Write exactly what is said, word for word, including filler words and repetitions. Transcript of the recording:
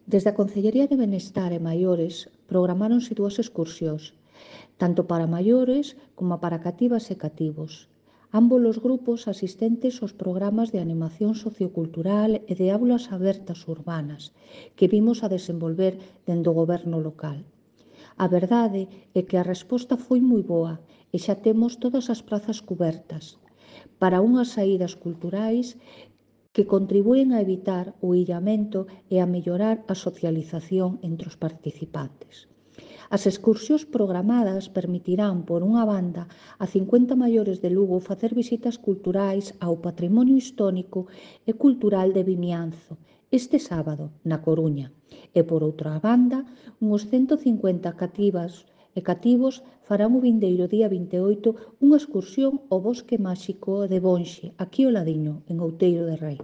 Desde a Concellería de Benestar e Maiores programáronse dúas excursións, tanto para maiores como para cativas e cativos. Ambos os grupos asistentes aos programas de animación sociocultural e de aulas abertas urbanas que vimos a desenvolver dende o goberno local. A verdade é que a resposta foi moi boa e xa temos todas as prazas cubertas para unhas saídas culturais que contribúen a evitar o illamento e a mellorar a socialización entre os participantes. As excursións programadas permitirán, por unha banda, a cincuenta maiores de Lugo facer visitas culturais ao patrimonio histórico e cultural de Vimianzo este sábado, na Coruña, e, por outra banda, uns ciento cincuenta cativas e cativos farán o vindeiro día vinte e oito unha excursión ao Bosque Máxico de Bonxe, aquí ao ladiño, en Outeiro de Rei.